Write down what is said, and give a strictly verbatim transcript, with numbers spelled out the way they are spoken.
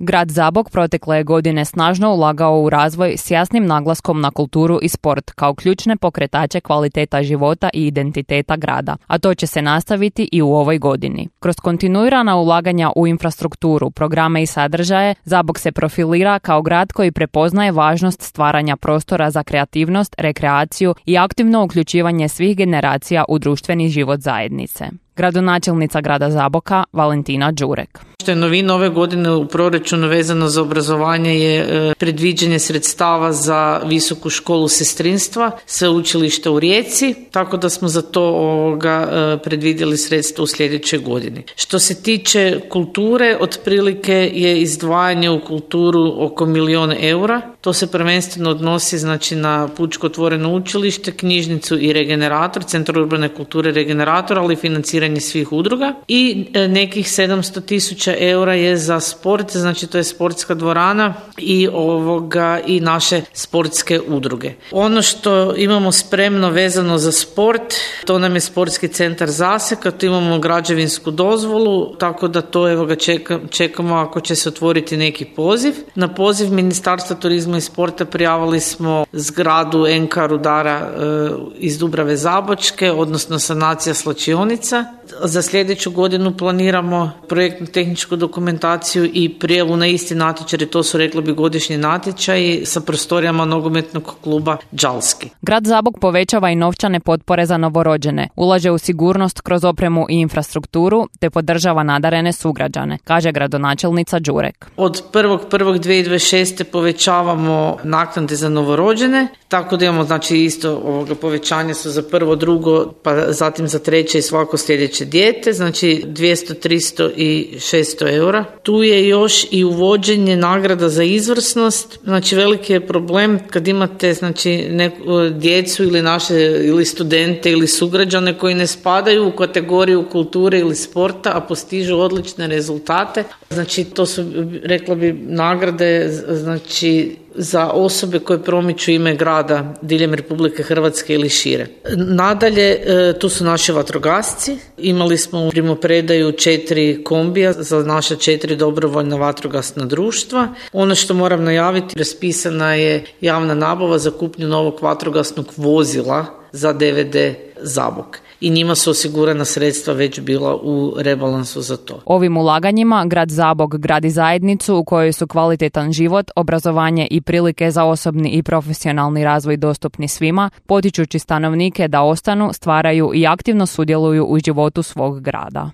Grad Zabok protekle je godine snažno ulagao u razvoj s jasnim naglaskom na kulturu i sport kao ključne pokretače kvaliteta života i identiteta grada, a to će se nastaviti i u ovoj godini. Kroz kontinuirana ulaganja u infrastrukturu, programe i sadržaje, Zabok se profilira kao grad koji prepoznaje važnost stvaranja prostora za kreativnost, rekreaciju i aktivno uključivanje svih generacija u društveni život zajednice. Gradonačelnica grada Zaboka Valentina Đurek. Što je novina ove godine u proračunu vezano za obrazovanje je e, predviđanje sredstava za visoku školu sestrinstva, sveučilišta u Rijeci, tako da smo za to ovoga, e, predvidjeli sredstva u sljedećoj godini. Što se tiče kulture, otprilike je izdvajanje u kulturu oko milijun eura. To se prvenstveno odnosi znači, na Pučko otvoreno učilište, knjižnicu i regenerator, Centar urbane kulture regenerator, ali i financiranje svih udruga. I e, nekih sedamsto tisuća eura je za sport, znači to je sportska dvorana i ovoga i naše sportske udruge. Ono što imamo spremno vezano za sport, to nam je sportski centar Zaseka, tu imamo građevinsku dozvolu, tako da to evo ga čeka, čekamo ako će se otvoriti neki poziv. Na poziv Ministarstva turizma i sporta prijavili smo zgradu N K Rudara e, iz Dubrave Zabočke, odnosno sanacija slačionica. Za sljedeću godinu planiramo projektnu tehničku dokumentaciju i prijavu na isti natječaj, to su rekli bi godišnji natječaji sa prostorijama nogometnog kluba Đalski. Grad Zabok povećava i novčane potpore za novorođene, ulaže u sigurnost kroz opremu i infrastrukturu te podržava nadarene sugrađane, kaže gradonačelnica Đurek. Od prvog prvog dvije tisuće dvadeset šeste povećavamo naknade za novorođene, tako da imamo znači isto ovoga povećanje su za prvo, drugo, pa zatim za treće i svako sljedeće dijete, znači dvjesto, tristo i šesto eura. Tu je još i uvođenje nagrada za izvrsnost, znači veliki je problem kad imate znači neku djecu ili naše ili studente ili sugrađane koji ne spadaju u kategoriju kulture ili sporta, a postižu odlične rezultate. Znači to su, rekla bi, nagrade znači za osobe koje promiču ime grada diljem Republike Hrvatske ili šire. Nadalje, tu su naši vatrogasci. Imali smo u primopredaju četiri kombija za naša četiri dobrovoljna vatrogasna društva. Ono što moram najaviti, raspisana je javna nabava za kupnju novog vatrogasnog vozila za D V D Zabok. I njima su osigurana sredstva već bila u rebalansu za to. Ovim ulaganjima grad Zabok gradi zajednicu u kojoj su kvalitetan život, obrazovanje i prilike za osobni i profesionalni razvoj dostupni svima, potičući stanovnike da ostanu, stvaraju i aktivno sudjeluju u životu svog grada.